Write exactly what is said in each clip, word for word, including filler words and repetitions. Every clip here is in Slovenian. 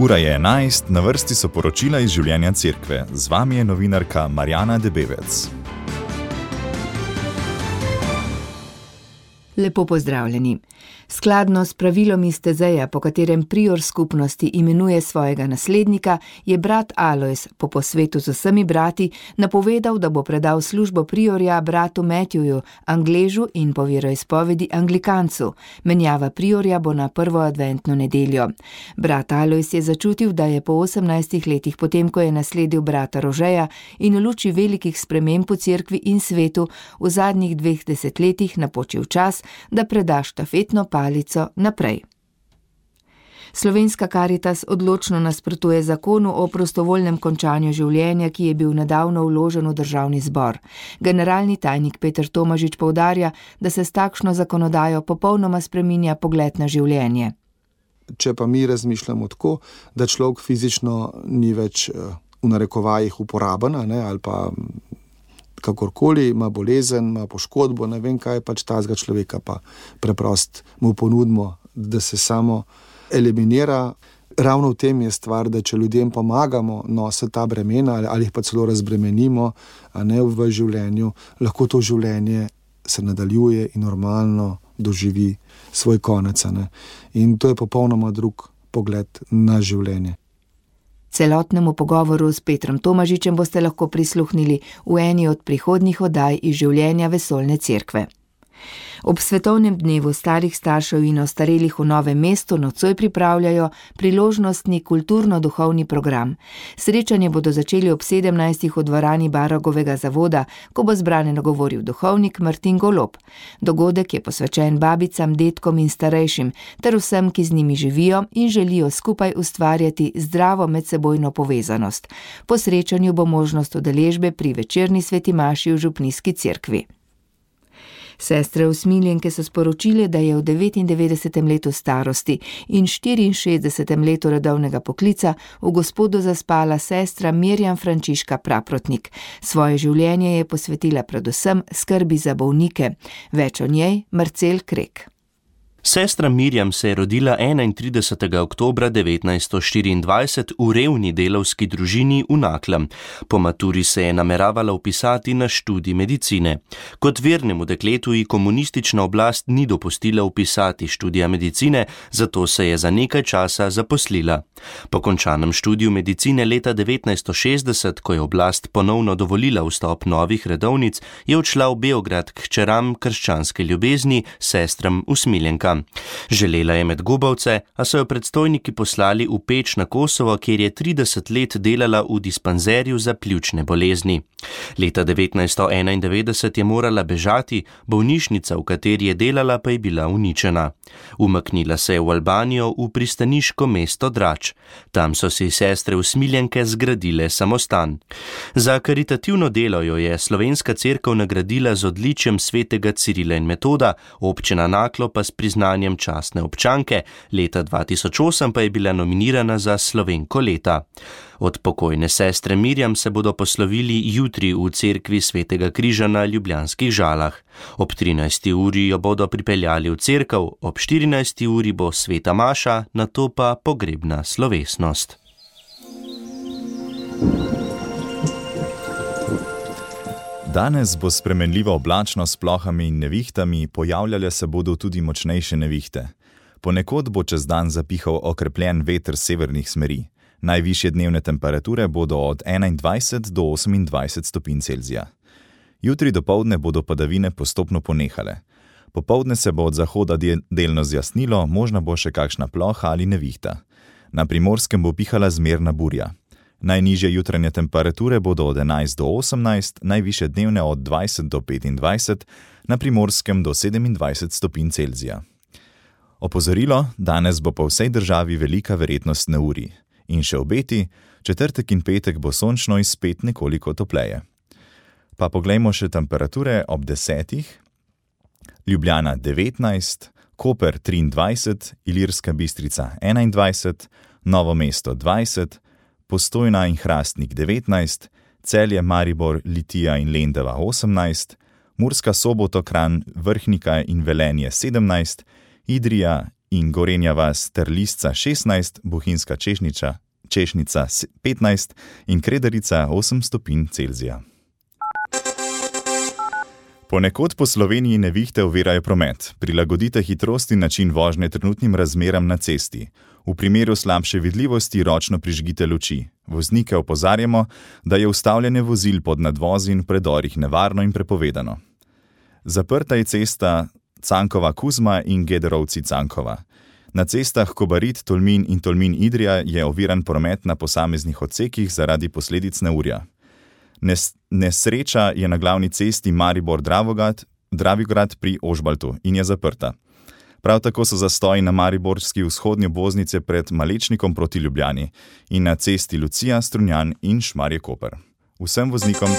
Ura je enajst, na vrsti so poročila iz življenja cerkve. Z vami je novinarka Marjana Debevec. Lepo pozdravljeni. Skladno s pravilom iz Tezeja, po katerem prior skupnosti imenuje svojega naslednika, je brat Alojz po posvetu z vsemi brati napovedal, da bo predal službo priorja bratu Matthewju, Angležu in po veroizpovedi Anglikancu. Menjava priorja bo na prvo adventno nedeljo. Brat Alojz je začutil, da je po osemnajstih letih, potem ko je nasledil brata Rožeja in v luči velikih sprememb v cerkvi in svetu, v zadnjih dveh desetletjih napočil čas, da preda štafetno palico naprej. Slovenska Karitas odločno nasprotuje zakonu o prostovoljnem končanju življenja, ki je bil nedavno vložen v državni zbor. Generalni tajnik Peter Tomažič poudarja, da se s takšno zakonodajo popolnoma spreminja pogled na življenje. Če pa mi razmišljamo tako, da človek fizično ni več v narekovajih uporaben, ne, ali pa kakorkoli, ima bolezen, ima poškodbo, ne vem kaj, pač tazga človeka pa preprost mu ponudimo, da se samo eliminira. Ravno v tem je stvar, da če ljudem pomagamo nositi ta bremena ali jih pa celo razbremenimo, a ne v življenju, lahko to življenje se nadaljuje in normalno doživi svoj konec. Ne? In to je popolnoma drug pogled na življenje. Celotnemu pogovoru s Petrom Tomažičem boste lahko prisluhnili v eni od prihodnjih oddaj iz življenja vesoljne cerkve. Ob svetovnem dnevu starih staršev in ostarelih v Novem mestu nocoj pripravljajo priložnostni kulturno-duhovni program. Srečanje bodo začeli ob sedemnajstih v dvorani Baragovega zavoda, ko bo zbrane nagovoril duhovnik Martin Golob. Dogodek je posvečen babicam, dedkom in starejšim, ter vsem, ki z njimi živijo in želijo skupaj ustvarjati zdravo medsebojno povezanost. Po srečanju bo možnost udeležbe pri večerni sveti maši v župnijski cerkvi. Sestre usmiljenke so sporočile, da je v devetindevetdesetem letu starosti in štiriinšestdesetem letu redovnega poklica v Gospodu zaspala sestra Mirjam Frančiška Praprotnik. Svoje življenje je posvetila predvsem skrbi za bolnike. Več o njej Marcel Krek. Sestra Mirjam se je rodila enaintridesetega oktobra devetnajststo štiriindvajset v revni delavski družini v Naklem. Po maturi se je nameravala vpisati na študij medicine. Kot vernemu dekletu ji komunistična oblast ni dopustila vpisati študija medicine, zato se je za nekaj časa zaposlila. Po končanem študiju medicine leta devetnajststo šestdeset, ko je oblast ponovno dovolila vstop novih redovnic, je odšla v Beograd k hčeram krščanske ljubezni, sestram usmiljenkam. Želela je Medgobovce, a so jo predstojniki poslali v Peč na Kosovo, kjer je trideset let delala v dispanzerju za pljučne bolezni. Leta devetnajststo enaindevetdeset je morala bežati, bolnišnica, v kateri je delala, pa je bila uničena. Umaknila se je v Albanijo, v pristaniško mesto Drač. Tam so si sestre usmiljenke zgradile samostan. Za karitativno delo jo je Slovenska cerkev nagradila z odličjem svetega Cirila in Metoda, občina Naklo pa s priznanjem častne občanke, leta dva tisoč osem pa je bila nominirana za Slovenko leta. Od pokojne sestre Mirjam se bodo poslovili jutri v cerkvi Svetega križa na Ljubljanskih Žalah. Ob trinajsti uri jo bodo pripeljali v cerkev, ob štirinajsti uri bo sveta maša, nato pa pogrebna slovesnost. Danes bo spremenljiva oblačnost s plohami in nevihtami, pojavljale se bodo tudi močnejše nevihte. Ponekod bo čez dan zapihal okrepljen veter severnih smeri. Najvišje dnevne temperature bodo od enaindvajset do osemindvajset stopinj Celzija. Jutri dopoldne bodo padavine postopno ponehale. Popoldne se bo od zahoda delno zjasnilo, možna bo še kakšna ploha ali nevihta. Na Primorskem bo pihala zmerna burja. Najnižje jutranje temperature bodo od enajst do osemnajst, najvišje dnevne od dvajset do petindvajset, na Primorskem do sedemindvajset stopinj Celzija. Opozorilo, danes bo po vsej državi velika verjetnost neurij. In še obeti, četrtek in petek bo sončno in spet nekoliko topleje. Pa poglejmo še temperature ob desetih. Ljubljana devetnajst, Koper triindvajset, Ilirska Bistrica enaindvajset, Novo mesto dvajset, Postojna in Hrastnik devetnajst, Celje, Maribor, Litija in Lendava osemnajst, Murska Sobota, Kranj, Vrhnika in Velenje sedemnajst, Idrija in Gorenja vas ter Lisca šestnajst, Bohinjska Češnica, Češnica petnajst in Kredarica osem stopinj Celzija. Ponekod po Sloveniji nevihte ovirajo promet. Prilagodite hitrost in način vožnje trenutnim razmeram na cesti. V primeru slabše vidljivosti ročno prižgite luči. Voznike opozarjamo, da je ustavljanje vozil pod nadvozi in v predorih nevarno in prepovedano. Zaprta je cesta Cankova-Kuzma in Gederovci-Cankova. Na cestah Kobarid-Tolmin in Tolmin-Idrija je oviran promet na posameznih odsekih zaradi posledic neurja. Nes- nesreča je na glavni cesti Maribor-Dravograd, Dravograd pri Ožbaltu in je zaprta. Prav tako so zastoji na mariborski vzhodni obvoznici pred Malečnikom proti Ljubljani in na cesti Lucija, Strunjan in Šmarje-Koper. Vsem voznikom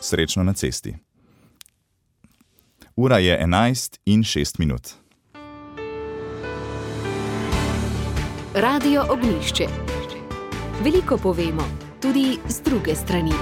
srečno na cesti. Ura je enajst in šest minut. Radio Ognjišče. Veliko povemo, tudi z druge strani.